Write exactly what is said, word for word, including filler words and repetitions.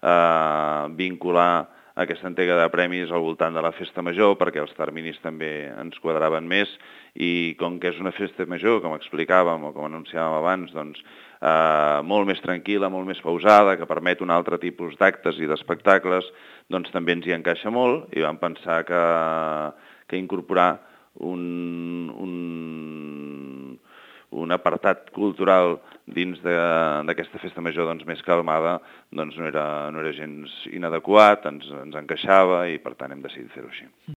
eh, vincular aquesta entrega de premis al voltant de la festa major, perquè els terminis també ens quadraven més, i com que és una festa major, com explicàvem o com anunciàvem abans, doncs eh, molt més tranquil·la, molt més pausada, que permet un altre tipus d'actes i d'espectacles, doncs també ens hi encaixa molt, i vam pensar que, que incorporar un, un, un apartat cultural dins d'aquesta festa major doncs, més calmada doncs, no, era, no era gens inadequat, ens, ens encaixava i per tant hem decidit fer-ho així.